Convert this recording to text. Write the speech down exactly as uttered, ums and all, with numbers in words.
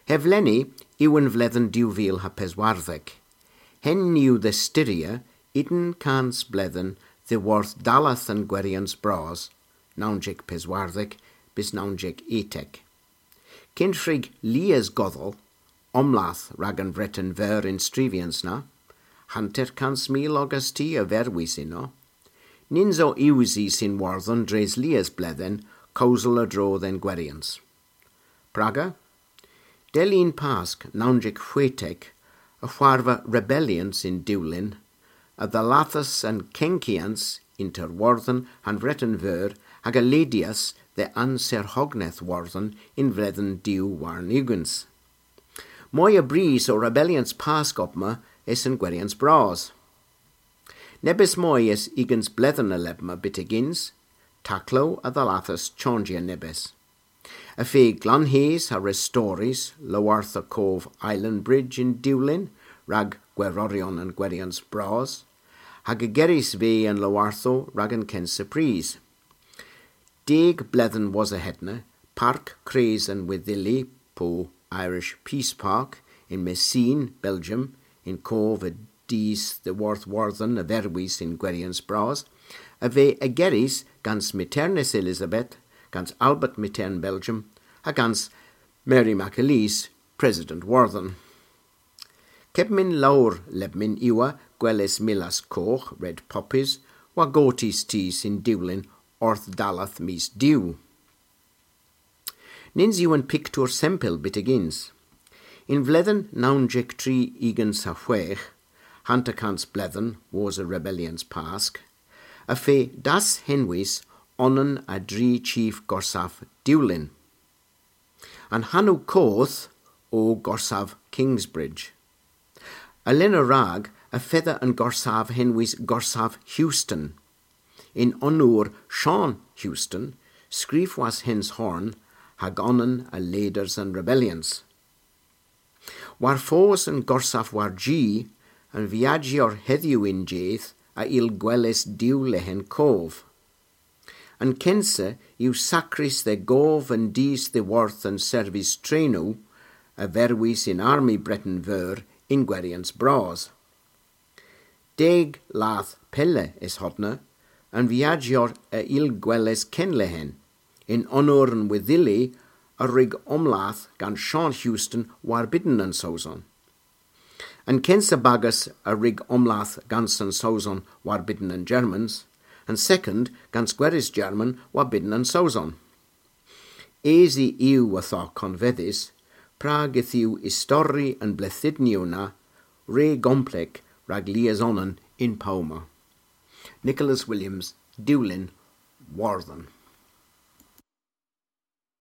Hevleni yw an vledhen dew vil ha peswardhek. Henn yw dhe styrya unn kans bledhen dhyworth dalleth an gweryans bras, nownsek peswardhek bys nownsek etek. Kyn hwrug lies godhel omlath rag an Vreten Veur y'n stryvyans na, hanter kans mil ogas ty a verwis ynno, nyns o usys yn Wordhen dres lies bledhen kewsel a-dro dhe'n gweryans. Praga? Dell unn Pask nownsek hwetek y hwarva rebellyans yn Dewlin, a dhallathas an kenkyans ynter Wordhen ha'n Vreten Veur hag a ledyas dhe anserhogneth Wordhen y'n vledhen dew warn ugens. Moy a bris o rebellyans Pask obma es an gweryans bras. Nebes moy es ugens bledhen a lebma byttegyns, taklow a dhallathas chanjya nebes. Y fydh glanhys ha restorys lowarthow kov Island Bridge yn Dewlin rag gweroryon an gweryans bras, hag ygerys veu an lowarthow rag an kynsa prys. Deg bledhen wosa hedna, Park Kres an Wedhyli, po Irish Peace Park, yn Messines, Belgium, yn kov a dus dhyworth Wordhen a verwis y'n gweryans bras, a veu ygerys gans Myghternus Elizabeth, gans Albert Myghtern Belgium, ha gans Mary McAleese, President Wordhen. Kepmyn lowr lebmyn yw gweles millas kogh, red poppies, war gortys tus yn Dewlin orth dalleth mis Dew. Nyns yw an piktur sempel byttegyns. Y'n vledhen nownsek tri ugens ha hwegh, hanter kans bledhen wosa rebellyans Pask, y feu dashenwys onan a dri chif gorsav Dewlin. An hanow koth o Gorsav Kingsbridge. A-lynn a-rag y fedha an gorsav henwys Gorsav Huston, yn onour Sean Huston, skrifwas Hens Horn hag onan a leaders an rebellyans. War fos an gorsav war-ji, an viajyer hedhyw y'n jydh a yll gweles diw lehen kov. An kynsa yw sakrys dhe gov an dus dhyworth an servis trenow a verwis yn armi Breten Veur y'n gweryans bras. Deg lath pella es hodna, an viajyer a yll gweles kenlehen, yn onour an wedhyli a wrug omlath gans Sean Huston warbydn an Sowson. An kynsa bagas a wrug omlath gans an Sowson warbydn an Germans, an sekond gans gweres German warbydn an Sowson. Esi yw ytho konvedhys, prag yth yw istori an bledhynyow na re gomplek rag lies onan yn powma. Nicholas Williams, Dewlin, Wordhen.